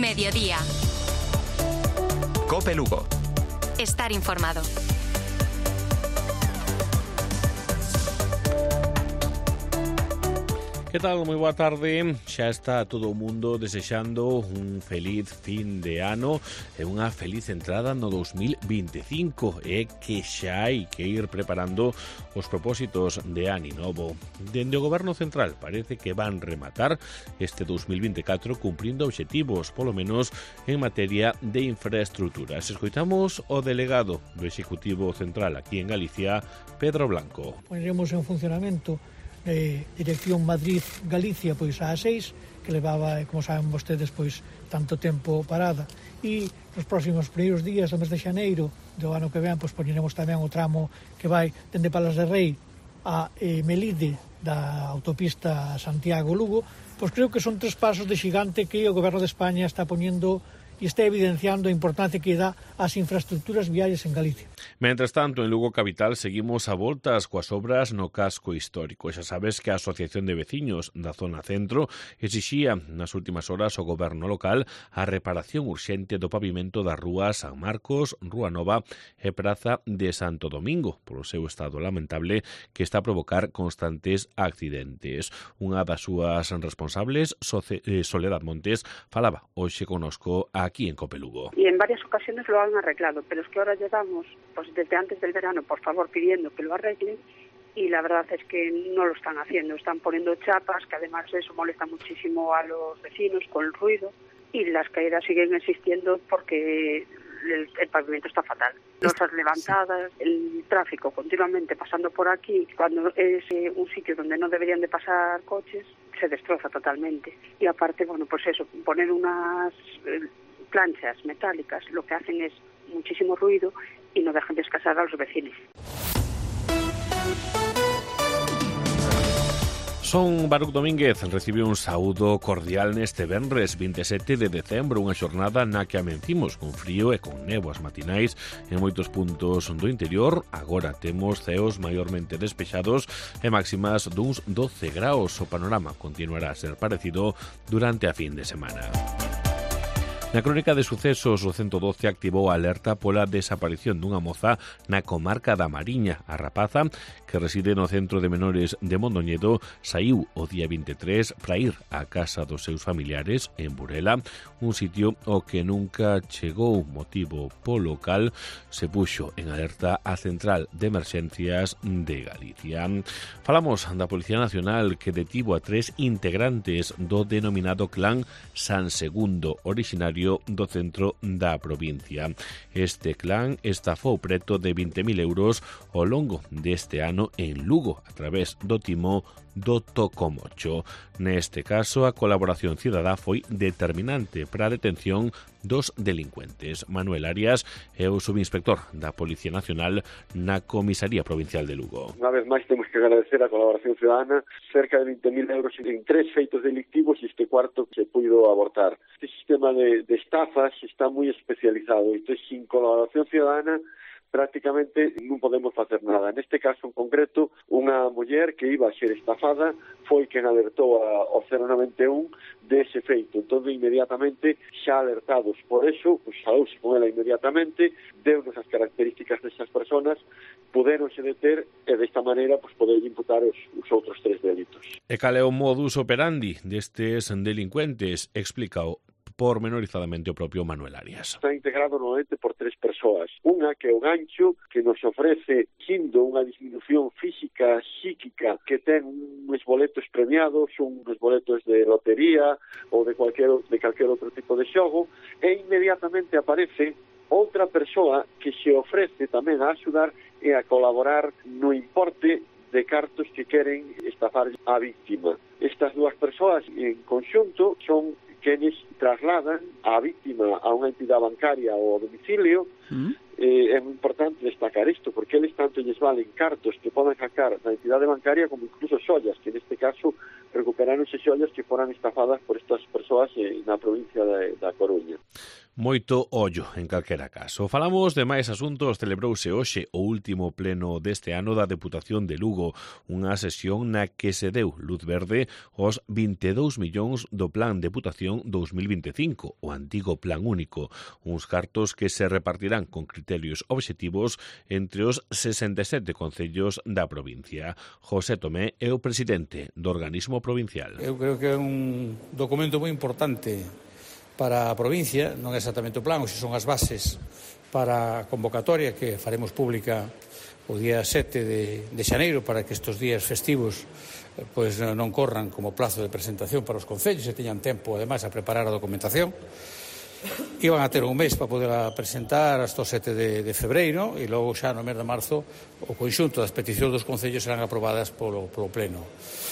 Mediodía. COPE Lugo. Estar informado. Que tal? Moi boa tarde. Xa está todo o mundo desexando un feliz fin de ano e unha feliz entrada no 2025 e que xa hai que ir preparando os propósitos de ano novo. Dende o Goberno Central parece que van rematar este 2024 cumprindo obxectivos, polo menos en materia de infraestructuras. Escoitamos o delegado do Executivo Central aquí en Galicia, Pedro Blanco. Poneremos en funcionamento Dirección Madrid-Galicia pois a 6, que levaba, como saben vostedes, pois tanto tempo parada, e nos próximos primeiros días do mes de xaneiro do ano que ven, pois poñeremos tamén o tramo que vai dende Palas de Rei a Melide da autopista Santiago-Lugo. Pois creo que son 3 pasos de xigante que o Goberno de España está poñendo e está evidenciando a importancia que dá ás infraestructuras viarias en Galicia. Mentres tanto, en Lugo Capital seguimos a voltas coas obras no casco histórico. Xa sabes que a Asociación de Veciños da Zona Centro exixía nas últimas horas ao goberno local a reparación urxente do pavimento das rúas San Marcos, Rúa Nova e Praza de Santo Domingo, polo seu estado lamentable que está a provocar constantes accidentes. Unha das súas responsables, Soledad Montes, falaba hoxe conosco aquí en COPE Lugo. Y en varias ocasiones lo han arreglado, pero es que ahora llevamos, pues desde antes del verano, por favor, pidiendo que lo arreglen, y la verdad es que no lo están haciendo. Están poniendo chapas, que además eso molesta muchísimo a los vecinos con el ruido, y las caídas siguen existiendo porque el pavimento está fatal. Losas levantadas, el tráfico continuamente pasando por aquí, cuando es un sitio donde no deberían de pasar coches, se destroza totalmente. Y aparte, bueno, pues eso, poner unas planchas metálicas, lo que hacen es muchísimo ruido y no dejan descansar a los vecinos. Son Baruch Domínguez recibiu un saúdo cordial neste venres 27 de decembro, unha xornada na que amencimos con frío e con néboas matinais en moitos puntos do interior. Agora temos ceos maiormente despexados e máximas duns 12 graus. O panorama continuará a ser parecido durante a fin de semana. Na crónica de sucesos, o 112 activou a alerta pola desaparición dunha moza na comarca da Mariña. A rapaza, que reside no centro de menores de Mondoñedo, saiu o día 23 para ir á casa dos seus familiares en Burela, un sitio ao que nunca chegou, motivo polo cal se puxo en alerta a Central de Emerxencias de Galicia. Falamos da Policía Nacional, que detivo a 3 integrantes do denominado clan San Segundo, originario do centro da provincia. Este clan estafou preto de 20.000 euros ao longo deste ano en Lugo a través do timo do Tocomocho. Neste caso, a colaboración cidadá foi determinante para a detención dos delincuentes. Manuel Arias é o subinspector da Policía Nacional na Comisaría Provincial de Lugo. Unha vez máis temos que agradecer a colaboración cidadana, cerca de 20.000 euros en 3 feitos delictivos e este cuarto que se puido abortar. Este sistema de estafas está moi especializado, isto sin colaboración cidadana prácticamente non podemos facer nada. Neste caso en concreto, unha muller que iba a ser estafada foi quen alertou ao 091 dese feito. Entón, inmediatamente, xa alertados por eso, pues, falouse con ela inmediatamente, deunos as características desas personas, puderonse deter e desta maneira pues, poder imputar os outros 3 delitos. E cal é o modus operandi destes delincuentes? Explícao pormenorizadamente o propio Manuel Arias. Está integrado normalmente por 3 persoas. Unha que é o gancho, que nos ofrece xindo unha disminución física, psíquica, que ten uns boletos premiados, uns boletos de lotería ou de calquer outro tipo de xogo, e inmediatamente aparece outra persoa que se ofrece tamén a axudar e a colaborar no importe de cartos que queren estafar a víctima. Estas 2 persoas en conxunto son quenes trasladan a víctima a unha entidade bancaria ou ao domicilio é moi importante destacar isto, porque eles tanto lles valen cartos que poden sacar da entidade bancaria como incluso xollas, que neste caso recuperaronse xollas que foran estafadas por estas persoas na provincia da Coruña. Moito ollo, en calquera caso. Falamos de máis asuntos. Celebrouse hoxe o último pleno deste ano da Deputación de Lugo, unha sesión na que se deu luz verde aos 22 millóns do Plan Deputación 2025, o antigo Plan Único, uns cartos que se repartirán con criterios obxectivos entre os 67 concellos da provincia. José Tomé é o presidente do organismo provincial. Eu creo que é un documento moi importante para a provincia, non é exactamente o plan, ou se son as bases para a convocatoria que faremos pública o día 7 de xaneiro para que estes días festivos pois non corran como plazo de presentación para os concellos e teñan tempo, ademais, a preparar a documentación. Iban a ter un mes para poder presentar hasta o 7 de febreiro e logo xa no mes de marzo o conxunto das peticións dos concellos serán aprobadas polo pleno.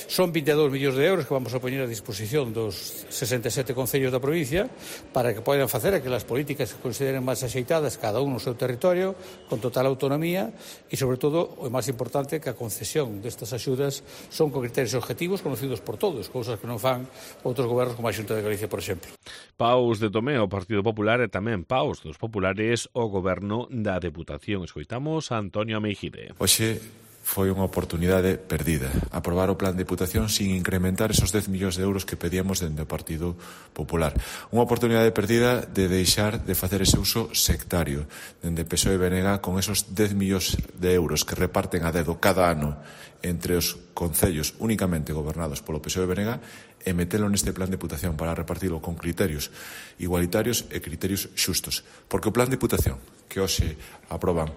Son 22 millóns de euros que vamos a poñer a disposición dos 67 concellos da provincia para que poidan facer aquelas políticas que consideren máis axeitadas cada un no seu territorio con total autonomía e, sobre todo, o máis importante, que a concesión destas axudas son con criterios objetivos conocidos por todos, cousas que non fan outros gobernos como a Xunta de Galicia, por exemplo. Paus de Tomé, o Partido Popular, e tamén paus dos populares o goberno da Deputación. Escoitamos a Antonio Ameijide. Hoxe foi unha oportunidade perdida. Aprobar o plan de Deputación sin incrementar esos 10 millóns de euros que pedíamos dende o Partido Popular. Unha oportunidade perdida de deixar de facer ese uso sectario dende PSOE e BNG con esos 10 millóns de euros que reparten a dedo cada ano entre os concellos únicamente gobernados polo PSOE e BNG e metelo neste plan de Deputación para repartilo con criterios igualitarios e criterios xustos. Porque o plan de Deputación que hoxe aproban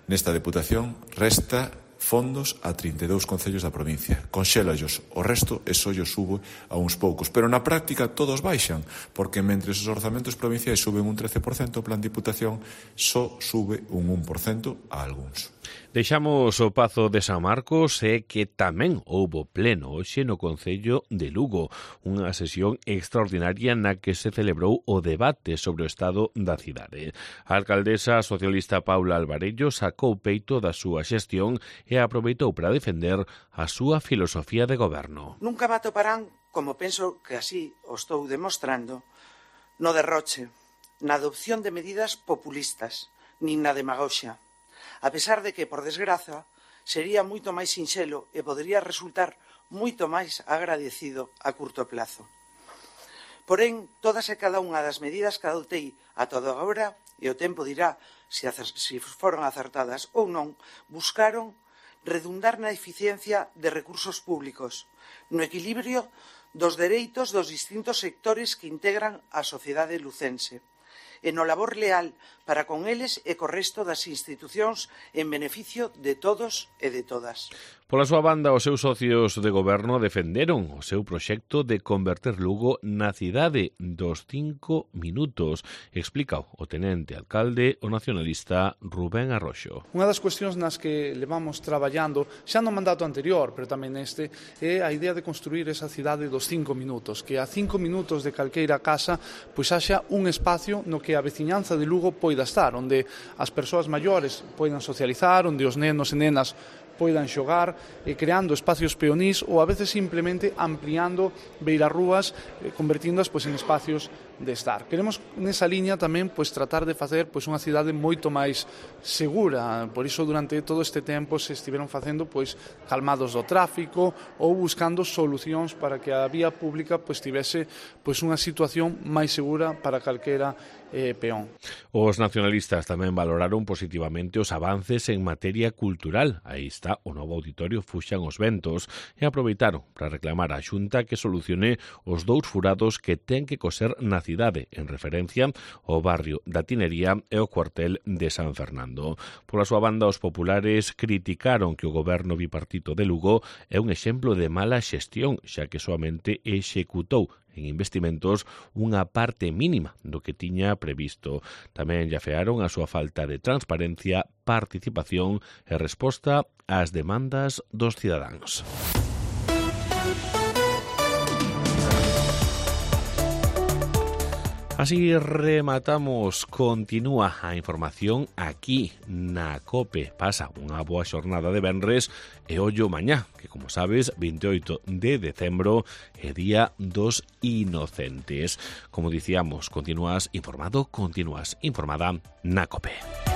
nesta Deputación resta fondos a 32 concellos da provincia. Conxélallos o resto e só llos sube a uns poucos. Pero na práctica todos baixan, porque mentre os orzamentos provinciais suben un 13%, o plan de Deputación só sube un 1% a algúns. Deixamos o Pazo de San Marcos e que tamén houbo pleno hoxe no Concello de Lugo, unha sesión extraordinaria na que se celebrou o debate sobre o estado da cidade. A alcaldesa socialista Paula Alvarello sacou peito da súa xestión e aproveitou para defender a súa filosofía de goberno. Nunca me atoparán, como penso que así o estou demostrando, no derroche, na adopción de medidas populistas, nin na demagoxia. A pesar de que, por desgraza, sería moito máis sinxelo e podería resultar moito máis agradecido a curto plazo. Porén, todas e cada unha das medidas que adoptei a toda agora, e o tempo dirá se foron acertadas ou non, buscaron redundar na eficiencia de recursos públicos, no equilibrio dos dereitos dos distintos sectores que integran a sociedade lucense, e no labor leal para con eles e co resto das institucións en beneficio de todos e de todas. Pola súa banda, os seus socios de goberno defenderon o seu proxecto de converter Lugo na cidade dos 5 minutos, explica o tenente alcalde, o nacionalista Rubén Arroxo. Unha das cuestións nas que levamos traballando, xa no mandato anterior, pero tamén neste, é a idea de construir esa cidade dos 5 minutos, que a 5 minutos de calqueira casa pois haxa un espacio no que a veciñanza de Lugo poida estar, onde as persoas maiores poidan socializar, onde os nenos e nenas poidan xogar, creando espacios peonís ou a veces simplemente ampliando beirarrúas, convertíndoas pois en espacios de estar. Queremos nesa liña tamén pois tratar de facer pois unha cidade moito máis segura. Por iso durante todo este tempo se estiveron facendo pois calmados do tráfico ou buscando solucións para que a vía pública pois tivese pois unha situación máis segura para calquera peón. Os nacionalistas tamén valoraron positivamente os avances en materia cultural. Aí está o novo auditorio Fuxan os Ventos e aproveitaron para reclamar á Xunta que solucione os 2 furados que ten que coser na cidade, en referencia ao barrio da Tinería e o cuartel de San Fernando. Pola súa banda, os populares criticaron que o goberno bipartito de Lugo é un exemplo de mala xestión, xa que soamente executou en investimentos unha parte mínima do que tiña previsto. Tamén lle afearon a súa falta de transparencia, participación e resposta ás demandas dos cidadáns. A Así rematamos, continúa a información aquí na COPE. Pasa unha boa xornada de venres e ollo mañá, que como sabes, 28 de decembro é Día dos Inocentes. Como dicíamos, continúas informado, continúas informada na COPE.